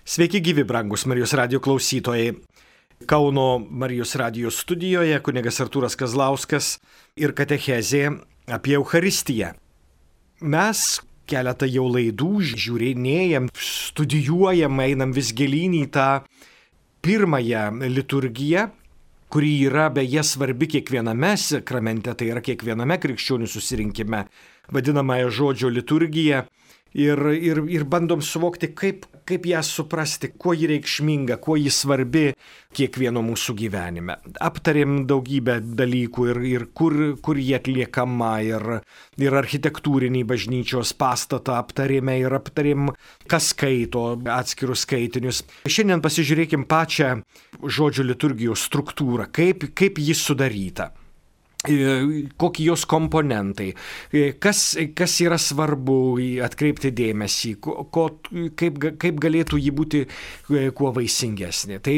Sveiki gyvi, brangus Marijos radijo klausytojai. Kauno Marijos radijo studijoje kunigas Artūras Kazlauskas ir katechezė apie Eucharistiją. Mes keletą jau laidų žiūrinėjam, studijuojam, einam vis gilyn į tą pirmąją liturgiją, kuri yra beje svarbi kiekviename sakramente, tai yra kiekviename krikščionių susirinkime, vadinamąją žodžio liturgiją. Ir bandom suvokti, kaip ją suprasti, kuo ji reikšminga, kuo ji svarbi kiekvieno mūsų gyvenime. Aptarėm daugybę dalykų ir kur ji atliekama, ir architektūrinį bažnyčios pastatą aptarėme, ir aptarėm, kas skaito atskirus skaitinius. Šiandien pasižiūrėkim pačią žodžio liturgijos struktūrą, kaip ji sudaryta. Kokie jos komponentai, kas yra svarbu atkreipti dėmesį, kaip galėtų ji būti kuo vaisingesnė. Tai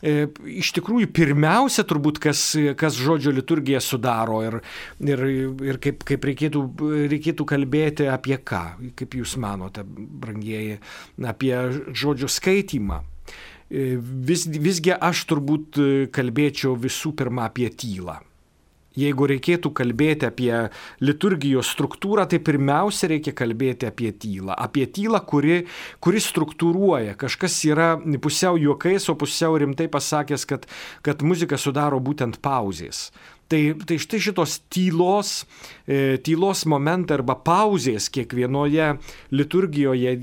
iš tikrųjų pirmiausia turbūt, kas žodžio liturgiją sudaro ir kaip reikėtų kalbėti apie ką, kaip jūs manote, brangieji, apie žodžio skaitymą. Visgi aš turbūt kalbėčiau visų pirma apie tylą. Jeigu reikėtų kalbėti apie liturgijos struktūrą, tai pirmiausia reikia kalbėti apie tylą. Apie tylą, kuri struktūruoja. Kažkas yra pusiau juokais, o pusiau rimtai pasakęs, kad muziką sudaro būtent pauzės. Tai štai šitos tylos momentai arba pauzės kiekvienoje liturgijoje,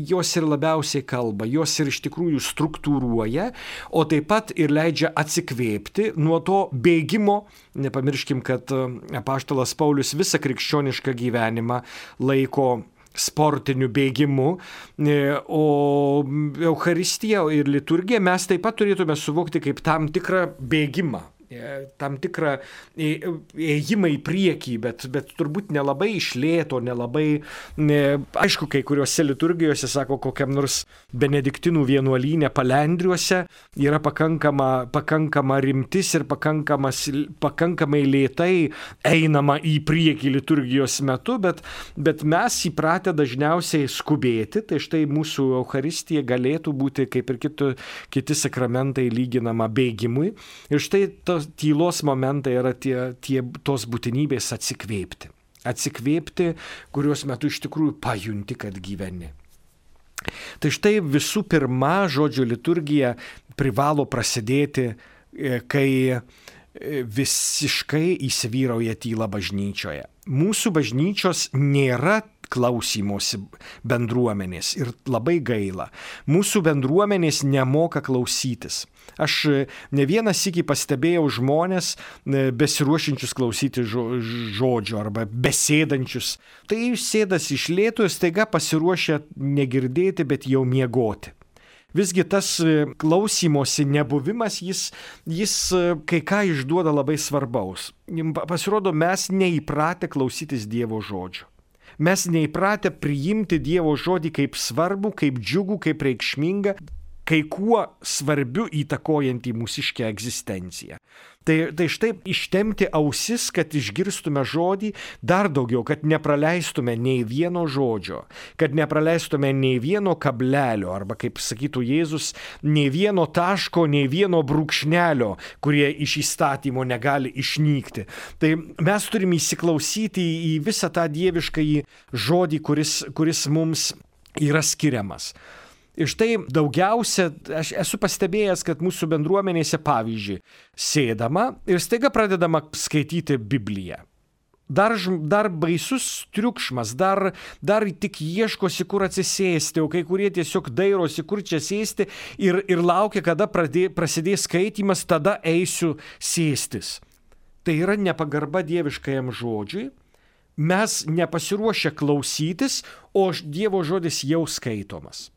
jos ir labiausiai kalba, jos ir iš tikrųjų struktūruoja, o taip pat ir leidžia atsikvėpti nuo to bėgimo. Nepamirškim, kad apaštalas Paulius visą krikščionišką gyvenimą laiko sportiniu bėgimu, o Eucharistiją ir liturgiją mes taip pat turėtume suvokti kaip tam tikrą bėgimą. Tam tikrą ėjimą į priekį, bet turbūt nelabai iš lėto, nelabai, aišku, kai kuriuose liturgijose, sako, kokiam nors benediktinų vienuolyne Palendriuose yra pakankama rimtis ir pakankamai lėtai einama į priekį liturgijos metu, bet mes įpratę dažniausiai skubėti, tai štai mūsų Eucharistija galėtų būti, kaip ir kiti sakramentai, lyginama bėgimui. Ir štai tylos momentai yra tos būtinybės atsikvėpti, kurios metu iš tikrųjų pajunti, kad gyveni. Tai štai visų pirma žodžio liturgija privalo prasidėti, kai visiškai įsivyrauja tyla bažnyčioje. Mūsų bažnyčios nėra klausymosi bendruomenės ir labai gaila. Mūsų bendruomenės nemoka klausytis. Aš ne vieną sykį pastebėjau žmonės besiruošiančius klausyti žodžio arba besėdančius. Tai sėdas iš lėto ir staiga pasiruošę negirdėti, bet jau miegoti. Visgi tas klausymosi nebuvimas, jis kai ką išduoda labai svarbaus. Pasirodo, mes neįpratę klausytis Dievo žodžio. Mes neįpratę priimti Dievo žodį kaip svarbų, kaip džiugų, kaip reikšmingą, kai kuo svarbiu įtakojantį mūsiškę egzistenciją. Tai štai ištemti ausis, kad išgirstume žodį dar daugiau, kad nepraleistume nei vieno žodžio, kad nepraleistume nei vieno kablelio, arba, kaip sakytų Jėzus, nei vieno taško, nei vieno brūkšnelio, kurie iš įstatymo negali išnykti. Tai mes turime įsiklausyti į visą tą dieviškąjį žodį, kuris mums yra skiriamas. Ir štai daugiausia, aš esu pastebėjęs, kad mūsų bendruomenėse, pavyzdžiui, sėdama ir staiga pradedama skaityti Bibliją. Dar baisus triukšmas, dar tik ieškosi, kur atsisėsti, o kai kurie tiesiog dairosi, kur čia sėsti ir laukia, kada prasidės skaitymas, tada eisiu sėstis. Tai yra nepagarba dieviškajam žodžiui. Mes nepasiruošę klausytis, o Dievo žodis jau skaitomas.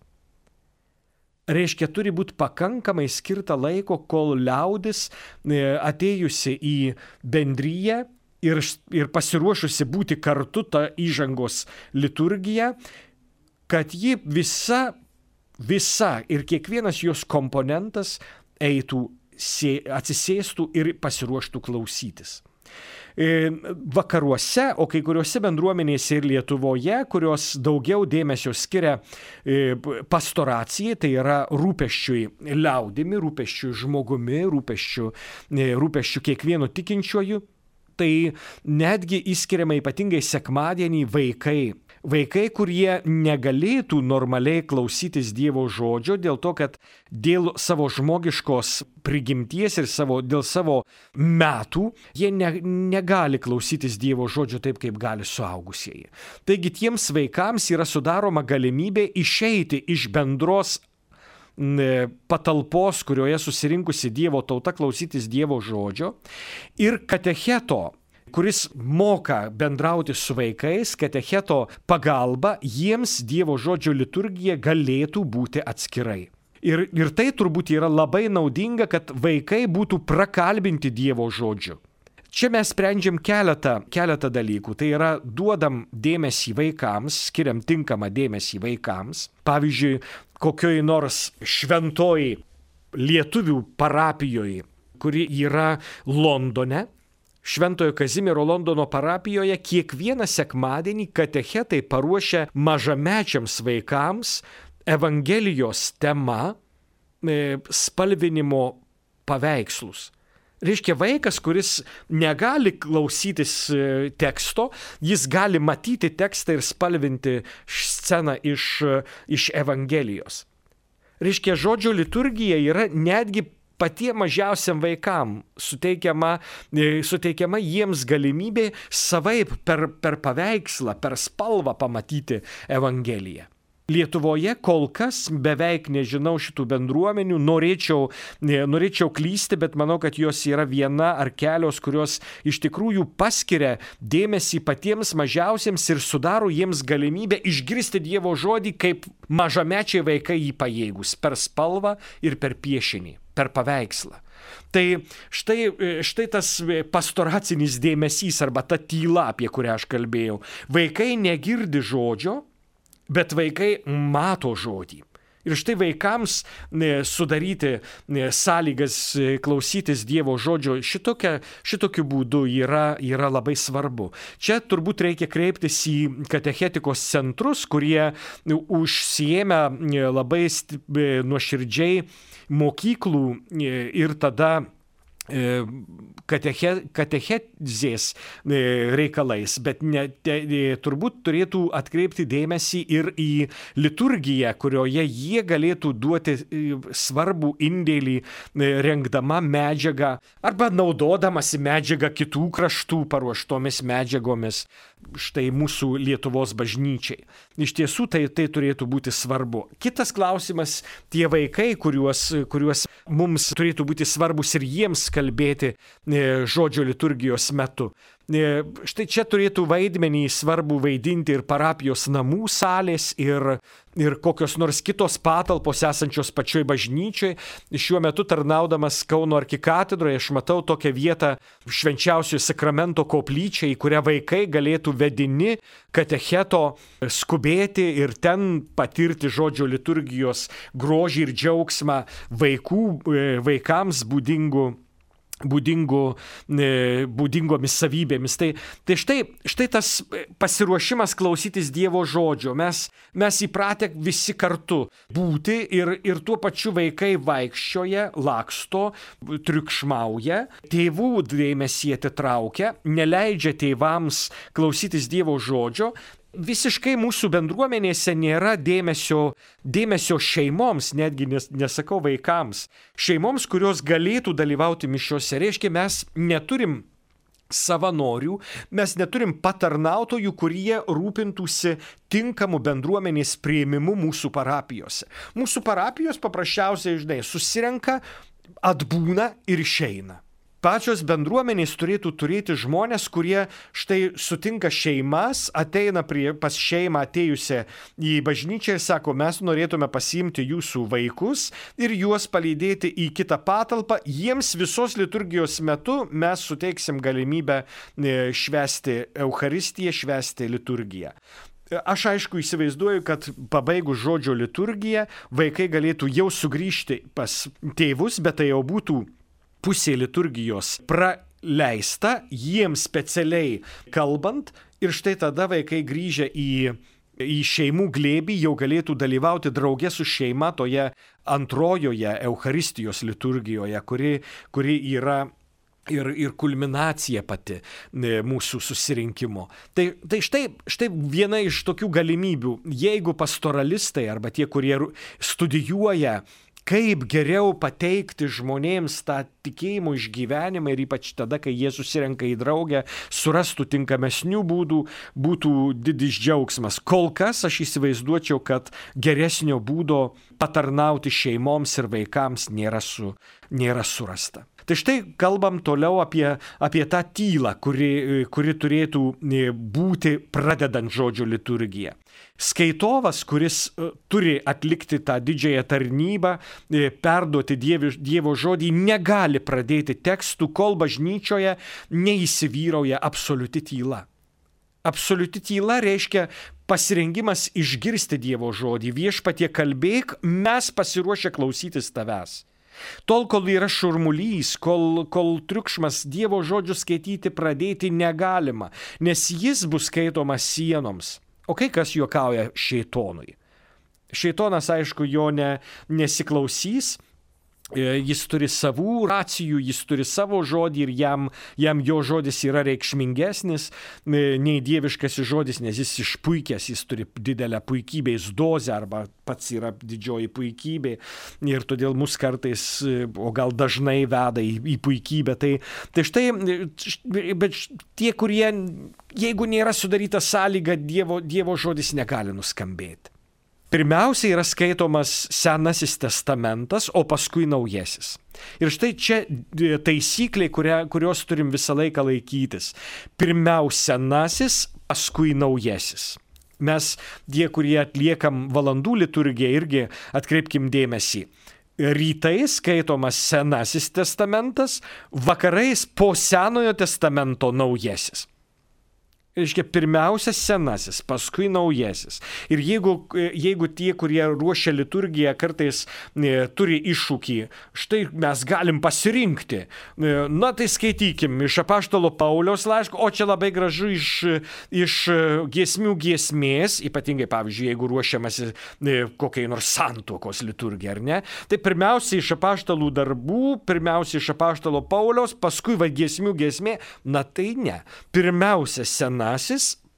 Reiškia, turi būti pakankamai skirta laiko, kol liaudis atėjusi į bendriją ir pasiruošusi būti kartu tą įžangos liturgiją, kad ji visa ir kiekvienas jos komponentas eitų, atsisėstų ir pasiruoštų klausytis. Vakaruose, o kai kuriuose bendruomenėse ir Lietuvoje, kurios daugiau dėmesio skiria pastoracijai, tai yra rūpesčiui liaudimi, rūpesčiui žmogumi, rūpesčiu kiekvienu tikinčiuoju, tai netgi įskiriama ypatingai sekmadienį vaikai, kurie negalėtų normaliai klausytis Dievo žodžio dėl to, kad dėl savo žmogiškos prigimties ir dėl savo metų jie negali klausytis Dievo žodžio taip, kaip gali suaugusieji. Taigi tiems vaikams yra sudaroma galimybė išeiti iš bendros patalpos, kurioje susirinkusi Dievo tauta klausytis Dievo žodžio, ir katecheto, kuris moka bendrauti su vaikais, katecheto pagalba jiems Dievo žodžio liturgija galėtų būti atskirai. Ir tai turbūt yra labai naudinga, kad vaikai būtų prakalbinti Dievo žodžiu. Čia mes sprendžiam keletą dalykų. Tai yra, duodam dėmesį vaikams, skiriam tinkamą dėmesį vaikams. Pavyzdžiui, kokioj nors šventoj lietuvių parapijoje, kuri yra Londone, Šventojo Kazimiero Londono parapijoje, kiekvieną sekmadienį katechetai paruošia mažamečiams vaikams Evangelijos tema spalvinimo paveikslus. Reiškia, vaikas, kuris negali klausytis teksto, jis gali matyti tekstą ir spalvinti sceną iš Evangelijos. Reiškia, žodžio liturgija yra netgi patiem mažiausiam vaikam suteikiama jiems galimybė savaip per paveikslą, per spalvą pamatyti Evangeliją. Lietuvoje kol kas beveik nežinau šitų bendruomenių, norėčiau klysti, bet manau, kad jos yra viena ar kelios, kurios iš tikrųjų paskiria dėmesį patiems mažiausiems ir sudaro jiems galimybę išgirsti Dievo žodį, kaip mažamečiai vaikai jį pajėgus, per spalvą ir per piešinį, per paveikslą. Tai štai tas pastoracinis dėmesys arba ta tyla, apie kurią aš kalbėjau. Vaikai negirdi žodžio, bet vaikai mato žodį. Ir štai vaikams sudaryti sąlygas klausytis Dievo žodžio šitokiu būdu yra labai svarbu. Čia turbūt reikia kreiptis į katechetikos centrus, kurie užsiėmę labai nuoširdžiai mokyklų ir tada katechezės reikalais, bet turbūt turėtų atkreipti dėmesį ir į liturgiją, kurioje jie galėtų duoti svarbų indėlį rengdama medžiagą arba naudodamasi medžiagą kitų kraštų paruoštomis medžiagomis. Štai mūsų Lietuvos bažnyčiai. Iš tiesų tai turėtų būti svarbu. Kitas klausimas, tie vaikai, kuriuos mums turėtų būti svarbus ir jiems kalbėti žodžio liturgijos metu. Štai čia turėtų vaidmenį svarbu vaidinti ir parapijos namų salės ir kokios nors kitos patalpos esančios pačioj bažnyčioj. Šiuo metu tarnaudamas Kauno arkikatedroje aš matau tokią vietą Švenčiausiojo sakramento koplyčią, į kurią vaikai galėtų vedini katecheto skubėti ir ten patirti žodžio liturgijos grožį ir džiaugsmą vaikams būdingomis savybėmis. Tai štai tas pasiruošimas klausytis Dievo žodžio. Mes įpratę visi kartu būti ir tuo pačiu vaikai vaikščioja, laksto, triukšmauja, tėvų dėmesį atitraukia, neleidžia tėvams klausytis Dievo žodžio. Visiškai mūsų bendruomenėse nėra dėmesio šeimoms, netgi nesakau vaikams, šeimoms, kurios galėtų dalyvauti mišiose. Reiškia, mes neturim savanorių, mes neturim patarnautojų, kurie rūpintųsi tinkamu bendruomenės priėmimu mūsų parapijose. Mūsų parapijos paprasčiausiai, susirenka, atbūna ir išeina. Pačios bendruomenės turėtų turėti žmonės, kurie štai sutinka šeimas, ateina pas šeimą atėjusią į bažnyčią ir sako, mes norėtume pasiimti jūsų vaikus ir juos palydėti į kitą patalpą. Jiems visos liturgijos metu mes suteiksim galimybę švęsti Eucharistiją, švęsti liturgiją. Aš aišku įsivaizduoju, kad pabaigus žodžio liturgiją vaikai galėtų jau sugrįžti pas tėvus, bet tai jau būtų pusė liturgijos leista jiems specialiai kalbant ir štai tada vaikai grįžę į šeimų glėbį jau galėtų dalyvauti drauge su šeima toje antrojoje Eucharistijos liturgijoje, kuri yra ir kulminacija pati mūsų susirinkimo. Tai štai viena iš tokių galimybių, jeigu pastoralistai arba tie, kurie studijuoja, kaip geriau pateikti žmonėms tą tikėjimo išgyvenimą ir ypač tada, kai jie susirenka į draugę, surastų tinkamesnių būdų, būtų didis džiaugsmas. Kol kas aš įsivaizduočiau, kad geresnio būdo patarnauti šeimoms ir vaikams nėra surasta. Tai štai kalbam toliau apie tą tylą, kuri turėtų būti pradedant žodžio liturgiją. Skaitovas, kuris turi atlikti tą didžiąją tarnybą, perduoti Dievo žodį, negali pradėti tekstų, kol bažnyčioje neįsivyrauja absoliuti tyla. Absoliuti tyla reiškia pasirengimas išgirsti Dievo žodį. Viešpatie kalbėk, mes pasiruošę klausytis tavęs. Tol, kol yra šurmulys, kol triukšmas, Dievo žodžių skaityti pradėti negalima, nes jis bus skaitomas sienoms. O kai kas juokauja šėtonui? Šėtonas, aišku, jo nesiklausys, jis turi savų racijų, jis turi savo žodį ir jam jo žodis yra reikšmingesnis nei dieviškasis žodis, nes jis išpuikęs, jis turi didelę puikybės dozę arba pats yra didžioji puikybė ir todėl mus kartais, o gal dažnai veda į puikybę. Tai štai, bet tie, kurie, jeigu nėra sudaryta sąlyga, Dievo žodis negali nuskambėti. Pirmiausia yra skaitomas Senasis testamentas, o paskui Naujasis. Ir štai čia taisyklė, kurios turim visą laiką laikytis. Pirmiausia Senasis, paskui Naujasis. Mes, tie, kurie atliekam valandų liturgiją, irgi atkreipkim dėmesį. Rytais skaitomas Senasis testamentas, vakarais po Senojo testamento Naujasis. Reiškia, pirmiausia Senasis, paskui Naujasis. Ir jeigu tie, kurie ruošia liturgiją, kartais turi iššūkį, štai mes galim pasirinkti. Na tai skaitykim iš apaštalo Pauliaus laiško, o čia labai gražu iš giesmių giesmės, ypatingai, pavyzdžiui, jeigu ruošiamasi kokiai nors santuokos liturgija, ar ne? Tai pirmiausia iš apaštalų darbų, pirmiausia iš apaštalo Pauliaus, paskui giesmių giesmė. Na tai ne. Pirmiausia Senasis,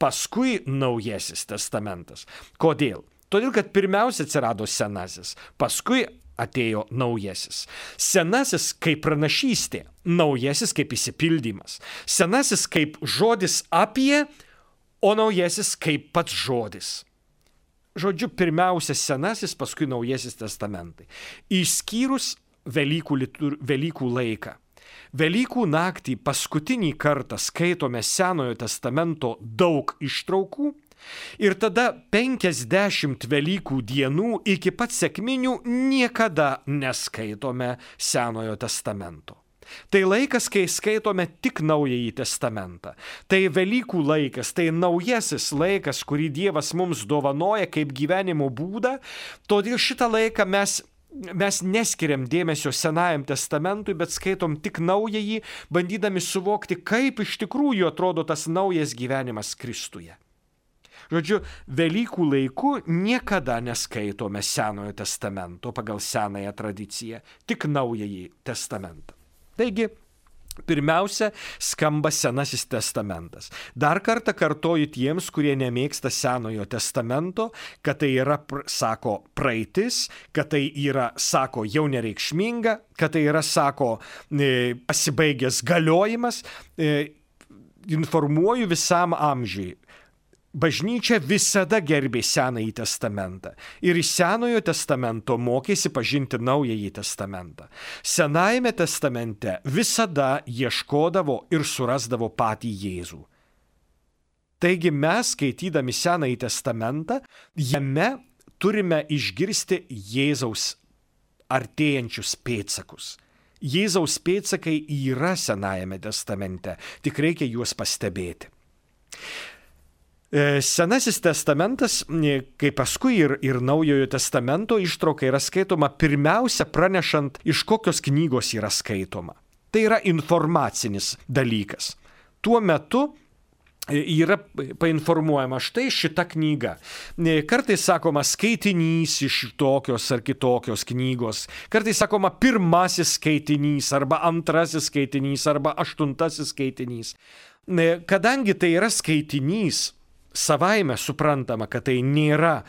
paskui Naujasis testamentas. Kodėl? Todėl, kad pirmiausia atsirado Senasis, paskui atėjo Naujasis. Senasis kaip pranašystė, Naujasis kaip išsipildymas. Senasis kaip žodis apie, o Naujasis kaip pats žodis. Žodžiu, pirmiausia Senasis, paskui Naujasis testamentai. Išskyrus Velykų laiką. Velykų naktį paskutinį kartą skaitome Senojo testamento daug ištraukų ir tada 50 Velykų dienų iki pat sekminių niekada neskaitome Senojo testamento. Tai laikas, kai skaitome tik Naująjį testamentą. Tai Velykų laikas, tai naujasis laikas, kurį Dievas mums dovanoja kaip gyvenimo būdą, todėl šitą laiką mes neskiriam dėmesio Senajam testamentui, bet skaitom tik Naująjį, bandydami suvokti, kaip iš tikrųjų atrodo tas naujas gyvenimas Kristuje. Žodžiu, Velykų laiku niekada neskaitome Senojo testamento pagal senąją tradiciją, tik Naująjį testamentą. Taigi, pirmiausia, skamba Senasis testamentas. Dar kartą kartoju tiems, kurie nemėgsta Senojo testamento, kad tai yra, sako, praeitis, kad tai yra, sako, jau nereikšminga, kad tai yra, sako, pasibaigęs galiojimas. Informuoju visam amžiui. Bažnyčia visada gerbė Senąjį testamentą ir iš Senojo testamento mokėsi pažinti Naująjį testamentą. Senajame testamente visada ieškodavo ir surasdavo patį Jėzų. Taigi mes, skaitydami Senąjį testamentą, jame turime išgirsti Jėzaus artėjančius pėdsakus. Jėzaus pėdsakai yra Senajame testamente, tik reikia juos pastebėti. Senasis testamentas, kaip paskui ir Naujojo testamento ištrauka yra skaitoma pirmiausia pranešant, iš kokios knygos yra skaitoma. Tai yra informacinis dalykas. Tuo metu yra painformuojama štai šita knyga. Kartais sakoma skaitinys iš tokios ar kitokios knygos. Kartais sakoma pirmasis skaitinys arba antrasis skaitinys arba aštuntasis skaitinys. Kadangi tai yra skaitinys, savaime suprantama, kad tai nėra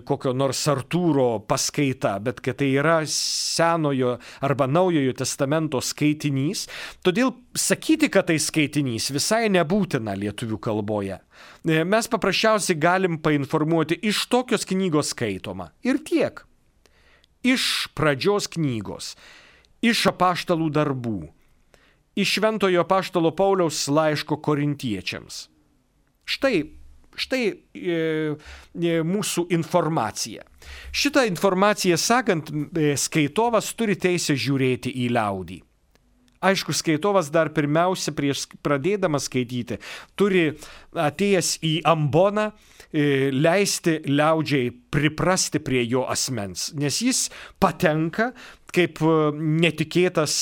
kokio nors Artūro paskaita, bet kad tai yra Senojo arba Naujojo testamento skaitinys. Todėl sakyti, kad tai skaitinys, visai nebūtina lietuvių kalboje. Mes paprasčiausiai galim painformuoti, iš tokios knygos skaitoma. Ir tiek. Iš pradžios knygos, iš apaštalų darbų, iš Šventojo apaštalo Pauliaus laiško korintiečiams. Štai mūsų informacija. Šitą informaciją sakant, skaitovas turi teisę žiūrėti į liaudį. Aišku, skaitovas dar pirmiausia, prieš pradėdamas skaityti, turi atėjęs į amboną leisti liaudžiai priprasti prie jo asmens, nes jis patenka kaip netikėtas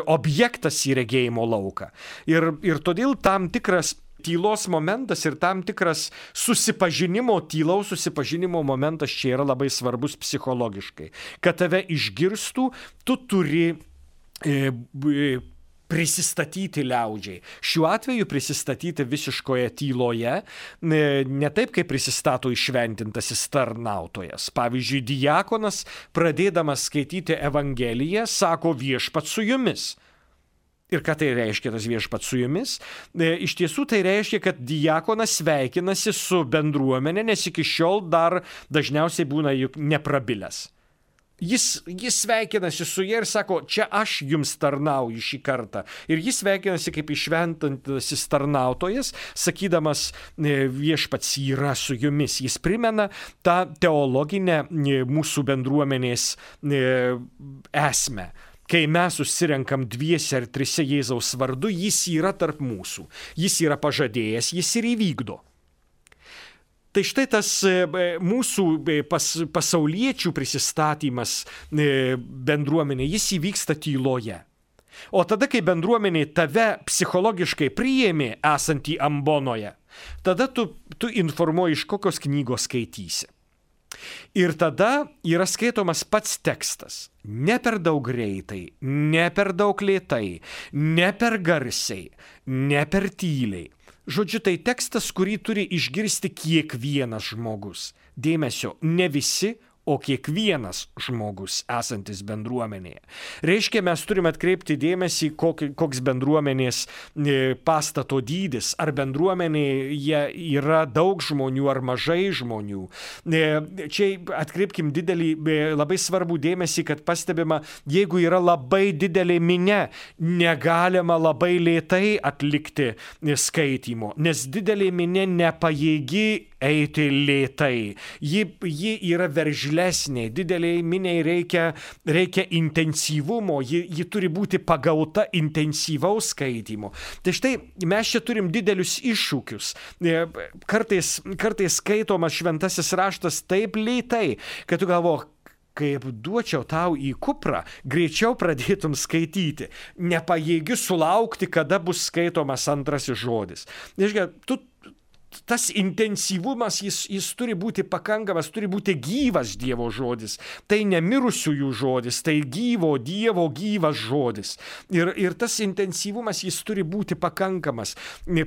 objektas į regėjimo lauką. Ir todėl tam tikras tylos momentas ir tam tikras tylaus susipažinimo momentas čia yra labai svarbus psichologiškai. Kad tave išgirstų, tu turi prisistatyti liaudžiai. Šiuo atveju prisistatyti visiškoje tyloje, ne taip, kaip prisistato įšventintasis tarnautojas. Pavyzdžiui, diakonas, pradėdamas skaityti Evangeliją, sako viešpats su jumis. Ir ką tai reiškia tas viešpats su jumis? Iš tiesų tai reiškia, kad diakonas sveikinasi su bendruomenė, nes iki šiol dar dažniausiai būna juk neprabilęs. Jis sveikinasi su jie ir sako, čia aš jums tarnauju šį kartą. Ir jis sveikinasi kaip įšventintasis tarnautojas, sakydamas, viešpats yra su jumis. Jis primena tą teologinę mūsų bendruomenės esmę. Kai mes susirenkam dviese ar trise Jėzaus vardu, jis yra tarp mūsų. Jis yra pažadėjęs, jis ir įvykdo. Tai štai tas mūsų pasauliečių prisistatymas bendruomenė, jis įvyksta tyloje. O tada, kai bendruomenė tave psichologiškai priėmė esantį ambonoje, tada tu informuoji, iš kokios knygos skaitysi. Ir tada yra skaitomas pats tekstas. Ne per daug greitai, ne per daug lėtai, ne per garsiai, ne per tyliai. Žodžiu, tai tekstas, kurį turi išgirsti kiekvienas žmogus. Dėmesio, ne visi, o kiekvienas žmogus esantis bendruomenėje. Reiškia, mes turime atkreipti dėmesį, koks bendruomenės pastato dydis, ar bendruomenėje yra daug žmonių ar mažai žmonių. Čia atkreipkim labai svarbų dėmesį, kad pastebima, jeigu yra labai didelė minia, negalima labai lėtai atlikti skaitymo, nes didelė minia nepajėgi eiti lėtai. Ji yra veržlesnė, dideliai miniai reikia intensyvumo, ji turi būti pagauta intensyvaus skaitymo. Tai štai mes čia turim didelius iššūkius. Kartais skaitomas šventasis raštas taip lėtai, kad tu galvoji, kaip duočiau tau į kuprą, greičiau pradėtum skaityti. Nepajėgi sulaukti, kada bus skaitomas antrasis žodis. Tas intensyvumas, jis turi būti pakankamas, turi būti gyvas Dievo žodis. Tai ne mirusiųjų žodis, tai gyvo Dievo gyvas žodis. Ir tas intensyvumas, jis turi būti pakankamas.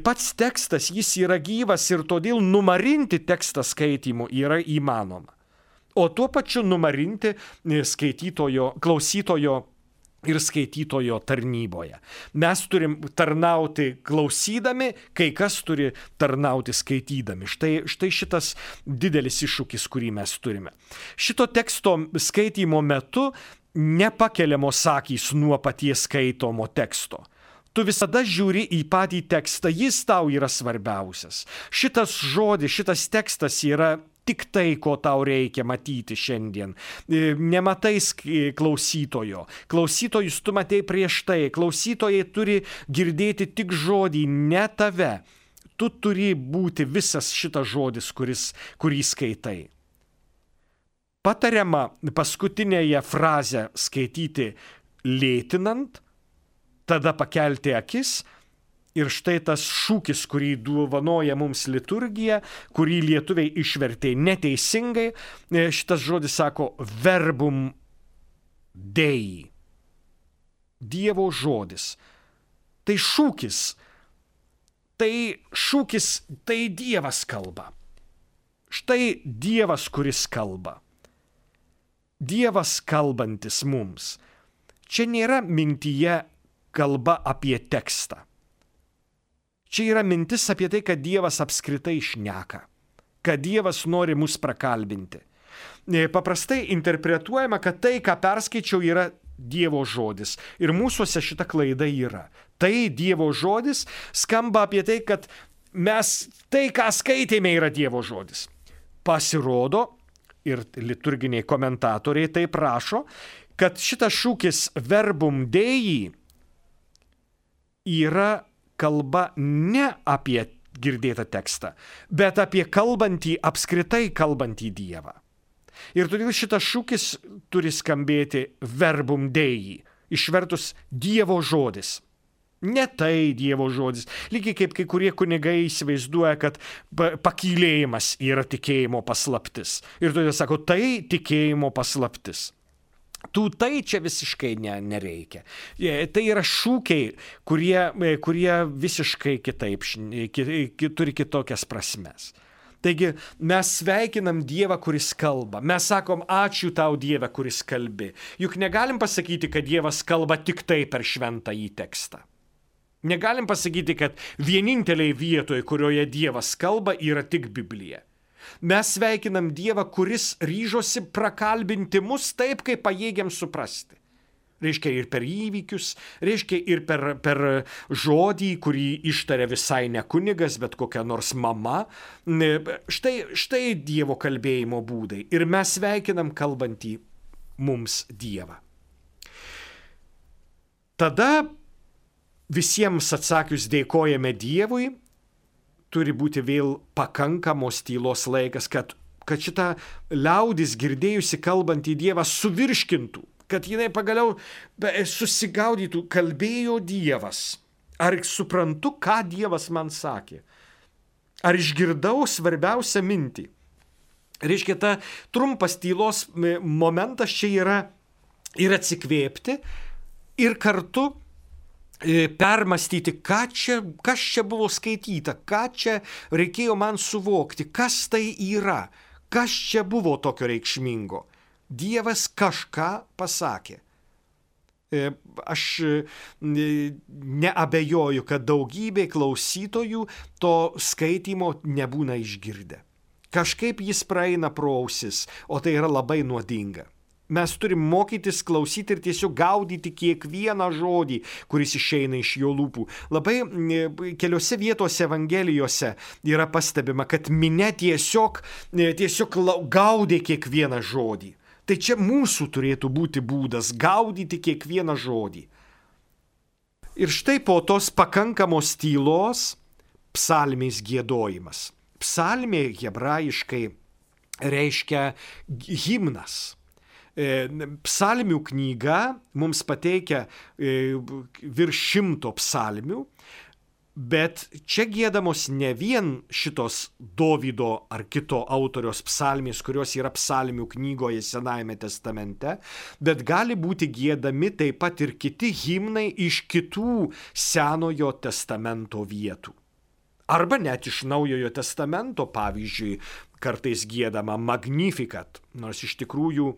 Pats tekstas, jis yra gyvas ir todėl numarinti tekstą skaitymu yra įmanoma. O tuo pačiu numarinti klausytojo ir skaitytojo tarnyboje. Mes turim tarnauti klausydami, kai kas turi tarnauti skaitydami. Štai šitas didelis iššūkis, kurį mes turime. Šito teksto skaitymo metu nepakeliamos akys nuo paties skaitomo teksto. Tu visada žiūri į patį tekstą, jis tau yra svarbiausias. Šitas žodis, šitas tekstas yra tik tai, ko tau reikia matyti šiandien. Nematai klausytojo. Klausytojus tu matei prieš tai. Klausytojai turi girdėti tik žodį, ne tave. Tu turi būti visas šitas žodis, kurį skaitai. Patariama paskutinėje frazę skaityti lėtinant, tada pakelti akis. Ir štai tas šūkis, kurį dovanoja mums liturgija, kurį lietuviai išvertė neteisingai, šitas žodis sako verbum Dei. Dievo žodis. Tai šūkis, tai Dievas kalba. Štai Dievas, kuris kalba. Dievas kalbantis mums. Čia nėra mintyje kalba apie tekstą. Čia yra mintis apie tai, kad Dievas apskritai šneka, kad Dievas nori mus prakalbinti. Paprastai interpretuojama, kad tai, ką perskaičiau, yra Dievo žodis. Ir mūsuose šita klaida yra. Tai Dievo žodis skamba apie tai, kad tai, ką skaitėme, yra Dievo žodis. Pasirodo, ir liturginiai komentatoriai taip rašo, kad šitas šūkis verbum Dei yra kalba ne apie girdėtą tekstą, bet apie apskritai kalbantį Dievą. Ir todėl šitas šūkis turi skambėti verbum Dei, išvertus Dievo žodis. Ne tai Dievo žodis. Lygiai kaip kai kurie kunigai įsivaizduoja, kad pakylėjimas yra tikėjimo paslaptis. Ir todėl sako, tai tikėjimo paslaptis. Tai čia visiškai nereikia. Tai yra šūkiai, kurie visiškai kitaip, turi kitokias prasmes. Taigi mes sveikinam Dievą, kuris kalba. Mes sakom, ačiū tau Dieve, kuris kalbi. Juk negalim pasakyti, kad Dievas kalba tik tai per šventąjį tekstą. Negalim pasakyti, kad vieninteliai vietoje, kurioje Dievas kalba, yra tik Biblija. Mes sveikinam Dievą, kuris ryžosi prakalbinti mus taip, kaip pajėgiam suprasti. Reiškia ir per įvykius, reiškia ir per žodį, kurį ištaria visai ne kunigas, bet kokia nors mama. Štai Dievo kalbėjimo būdai. Ir mes sveikinam kalbantį mums Dievą. Tada visiems atsakius dėkojame Dievui, turi būti vėl pakankamos tylos laikas, kad šita liaudis girdėjusi kalbantį Dievą suvirškintų, kad jinai pagaliau susigaudytų, kalbėjo Dievas. Ar suprantu, ką Dievas man sakė? Ar išgirdau svarbiausią mintį? Reiškia, ta trumpas tylos momentas čia yra ir atsikvėpti, ir kartu permastyti, kas čia buvo skaityta, ką čia reikėjo man suvokti, kas tai yra, kas čia buvo tokio reikšmingo. Dievas kažką pasakė. Aš neabejoju, kad daugybė klausytojų to skaitymo nebūna išgirdę. Kažkaip jis praeina pro ausis, o tai yra labai nuodinga. Mes turim mokytis klausyti ir tiesiog gaudyti kiekvieną žodį, kuris išeina iš jo lūpų. Labai keliose vietose Evangelijose yra pastebima, kad minia tiesiog gaudė kiekvieną žodį. Tai čia mūsų turėtų būti būdas gaudyti kiekvieną žodį. Ir štai po tos pakankamos tylos psalmės giedojimas. Psalmė hebrajiškai reiškia himnas. Psalmių knyga mums pateikia virš 100 psalmių, bet čia giedamos ne vien šitos Dovydo ar kito autoriaus psalmės, kurios yra psalmių knygoje Senajame testamente, bet gali būti giedami taip pat ir kiti himnai iš kitų Senojo testamento vietų. Arba net iš Naujojo testamento, pavyzdžiui, kartais giedama Magnificat, nors iš tikrųjų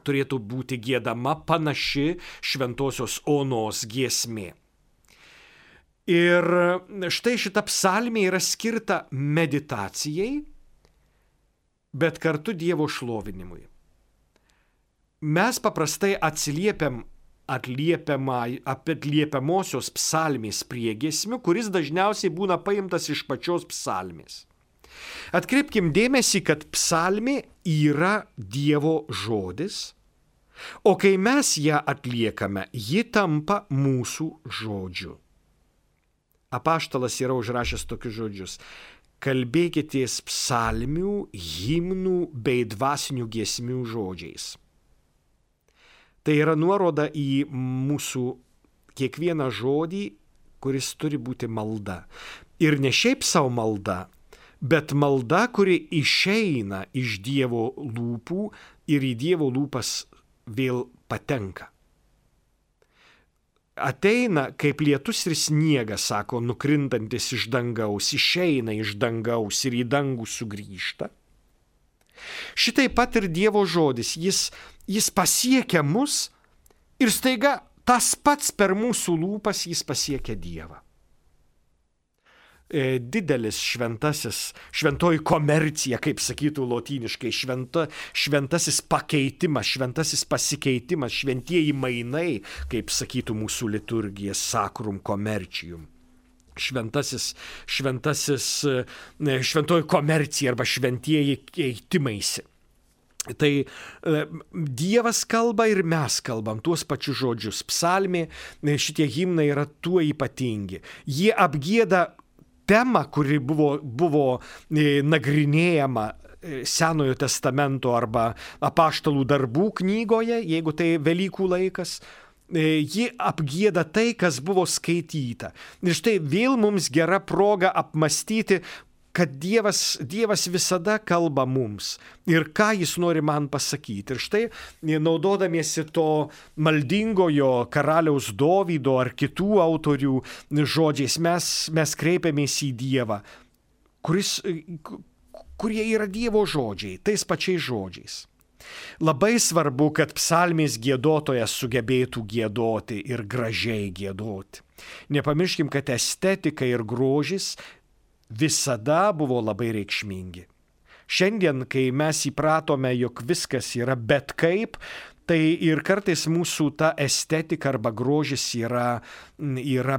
turėtų būti giedama panaši Šventosios Onos giesmė. Ir štai šita psalmė yra skirta meditacijai, bet kartu Dievo šlovinimui. Mes paprastai atliepiamosios psalmės priegiesmių, kuris dažniausiai būna paimtas iš pačios psalmės. Atkreipkim dėmesį, kad psalmė yra Dievo žodis, o kai mes ją atliekame, ji tampa mūsų žodžiu. Apaštalas yra užrašęs tokius žodžius. kalbėkitės psalmių, himnų bei dvasinių giesmių žodžiais. Tai yra nuoroda į mūsų kiekvieną žodį, kuris turi būti malda. Ir ne šiaip savo malda, bet malda, kuri išeina iš Dievo lūpų ir į Dievo lūpas vėl patenka. Ateina kaip lietus ir sniegas, sako, nukrintantis iš dangaus, išeina iš dangaus ir į dangų sugrįžta. Šitaip pat ir Dievo žodis, jis pasiekia mus ir staiga tas pats per mūsų lūpas jis pasiekia Dievą. Didelis šventoji komercija, kaip sakytų lotyniškai, šventasis pakeitimas, šventasis pasikeitimas, šventieji mainai, kaip sakytų mūsų liturgija, sacrum commercium. Šventoji komercija arba šventieji keitimaisi. Tai Dievas kalba ir mes kalbam tuos pačius žodžius. Psalmė, šitie himnai yra tuo ypatingi. Jie apgieda temą, kuri buvo nagrinėjama Senojo testamento arba apaštalų darbų knygoje, jeigu tai Velykų laikas. Ji apgieda tai, kas buvo skaityta. Ir štai vėl mums gera proga apmastyti, kad Dievas visada kalba mums ir ką jis nori man pasakyti. Ir štai, naudodamiesi to maldingojo karaliaus Dovydo ar kitų autorių žodžiais, mes kreipiamės į Dievą, kurie yra Dievo žodžiai, tais pačiais žodžiais. Labai svarbu, kad psalmės giedotojas sugebėtų giedoti ir gražiai giedoti. Nepamirškim, kad estetika ir grožis visada buvo labai reikšmingi. Šiandien, kai mes įpratome, jog viskas yra bet kaip, tai ir kartais mūsų ta estetika arba grožis yra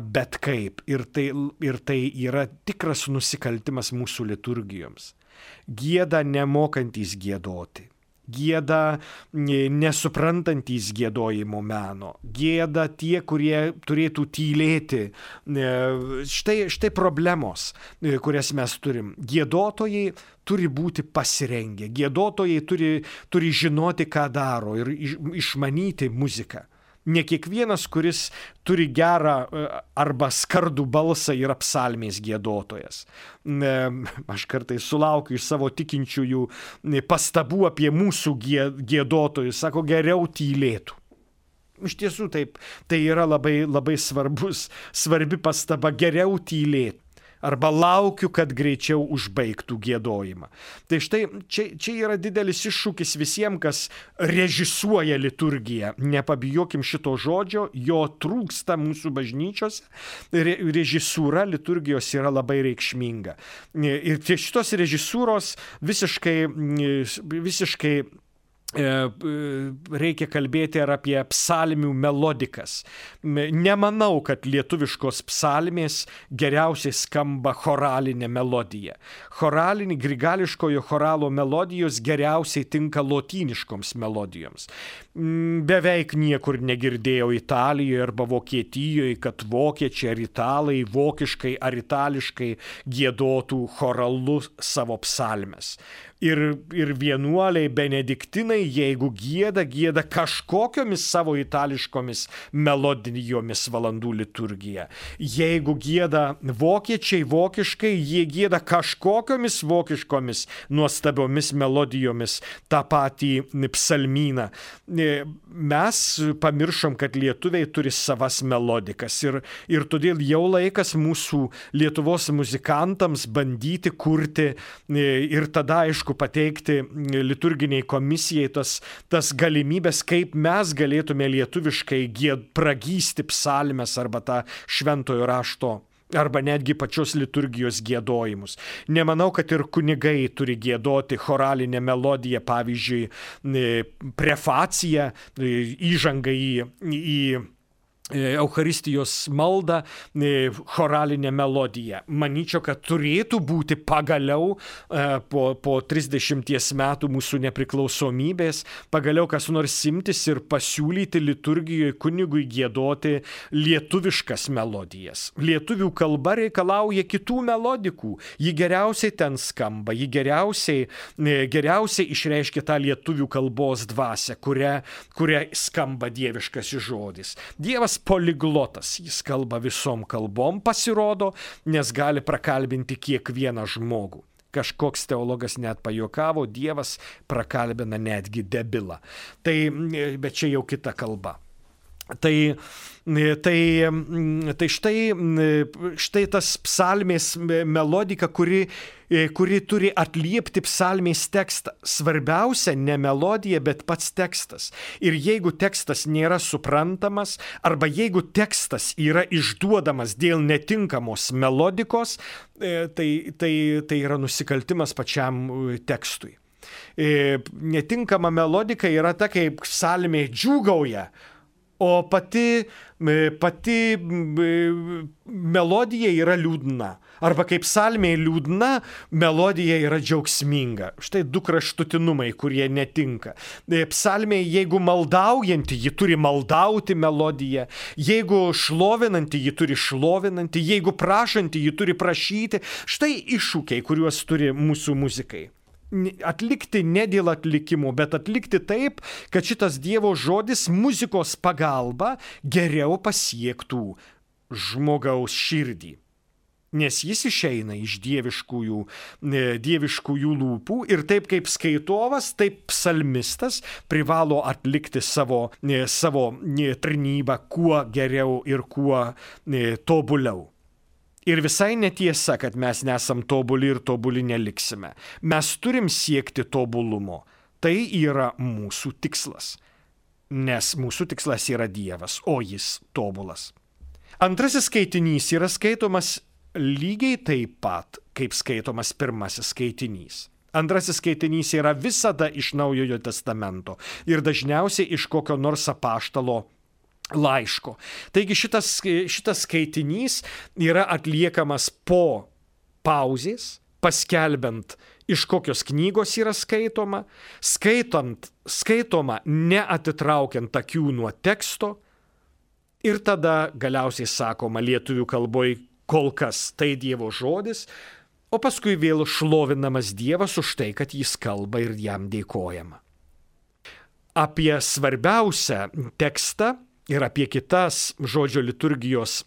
bet kaip. Ir tai yra tikras nusikaltimas mūsų liturgijoms. Gieda nemokantys giedoti. Gieda nesuprantantys giedojimo meno, gieda tie, kurie turėtų tylėti. Štai problemos, kurias mes turim. Giedotojai turi būti pasirengę, giedotojai turi žinoti, ką daro ir išmanyti muziką. Ne kiekvienas, kuris turi gerą arba skardų balsą, yra psalmės giedotojas. Aš kartais sulaukiu iš savo tikinčiųjų pastabų apie mūsų giedotojus, sako, geriau tylėtų. Iš tiesų taip, tai yra labai svarbi pastaba, geriau tylėtų. Arba laukiu, kad greičiau užbaigtų giedojimą. Tai štai čia yra didelis iššūkis visiems, kas režisuoja liturgiją. Nepabijokim šito žodžio, jo trūksta mūsų bažnyčiose. Režisūra liturgijos yra labai reikšminga. Ir šitos režisūros visiškai reikia kalbėti ir apie psalmių melodikas. Nemanau, kad lietuviškos psalmės geriausiai skamba choralinė melodija. Grigališkojo choralo melodijos geriausiai tinka lotyniškoms melodijoms. Beveik niekur negirdėjau Italijoje arba Vokietijoje, kad vokiečiai ar italai vokiškai ar itališkai giedotų choralu savo psalmes. Ir vienuoliai benediktinai, jeigu gieda kažkokiomis savo itališkomis melodijomis valandų liturgiją. Jeigu gieda vokiečiai vokiškai, jie gieda kažkokiomis vokiškomis nuostabiomis melodijomis tą patį psalmyną. Mes pamiršom, kad lietuviai turi savas melodikas ir todėl jau laikas mūsų Lietuvos muzikantams bandyti kurti ir tada, aišku, pateikti liturginiai komisijai tas galimybės, kaip mes galėtume lietuviškai pragysti psalmes arba tą šventojo rašto arba netgi pačios liturgijos giedojimus. Nemanau, kad ir kunigai turi giedoti choralinę melodiją, pavyzdžiui, prefaciją, įžangą Eucharistijos maldą choralinę melodiją. Manyčiau, kad turėtų būti pagaliau po 30 metų mūsų nepriklausomybės, pagaliau kas nors imtis ir pasiūlyti liturgijoje kunigui giedoti lietuviškas melodijas. Lietuvių kalba reikalauja kitų melodikų. Ji geriausiai ten skamba, ji geriausiai išreiškia tą lietuvių kalbos dvasią, kuria skamba dieviškasis žodis. Dievas poliglotas, jis kalba visom kalbom, pasirodo, nes gali prakalbinti kiekvieną žmogų. Kažkoks teologas net pajuokavo, Dievas prakalbina netgi debilą. Bet čia jau kita kalba. Tai štai tas psalmės melodika, kuri turi atliepti psalmės tekstą. Svarbiausia ne melodija, bet pats tekstas. Ir jeigu tekstas nėra suprantamas, arba jeigu tekstas yra išduodamas dėl netinkamos melodikos, tai yra nusikaltimas pačiam tekstui. Netinkama melodika yra ta, kaip psalmė džiūgauja, o pati melodija yra liūdna. Arba kaip psalmė liūdna, melodija yra džiaugsminga. Štai du kraštutinumai, kurie netinka. Psalmė, jeigu maldaujanti, ji turi maldauti melodiją. Jeigu šlovinanti, ji turi šlovinanti. Jeigu prašanti, ji turi prašyti. Štai iššūkiai, kuriuos turi mūsų muzikai. Atlikti ne dėl atlikimo, bet atlikti taip, kad šitas Dievo žodis muzikos pagalba geriau pasiektų žmogaus širdį. Nes jis išeina iš dieviškųjų lūpų ir taip kaip skaitovas, taip psalmistas privalo atlikti savo tarnybą kuo geriau ir kuo tobuliau. Ir visai netiesa, kad mes nesam tobuli ir tobuli neliksime. Mes turim siekti tobulumo. Tai yra mūsų tikslas. Nes mūsų tikslas yra Dievas, o jis tobulas. Antrasis skaitinys yra skaitomas lygiai taip pat, kaip skaitomas pirmasis skaitinys. Antrasis skaitinys yra visada iš Naujojo testamento ir dažniausiai iš kokio nors apaštalo laiško. Taigi šitas skaitinys yra atliekamas po pauzės, paskelbiant, iš kokios knygos yra skaitoma, skaitoma neatitraukiant akių nuo teksto ir tada galiausiai sakoma lietuvių kalboje kol kas tai Dievo žodis, o paskui vėl šlovinamas Dievas už tai, kad jis kalba ir jam dėkojama. Apie svarbiausią tekstą ir apie kitas žodžio liturgijos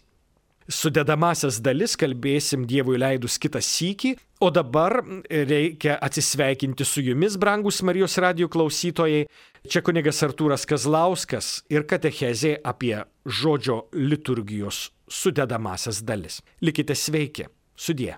sudedamasias dalis kalbėsim Dievui leidus kitą sykį, o dabar reikia atsisveikinti su jumis, brangus Marijos radijo klausytojai. Čia kunigas Artūras Kazlauskas ir katechezė apie žodžio liturgijos sudedamasias dalis. Likite sveiki, sudie.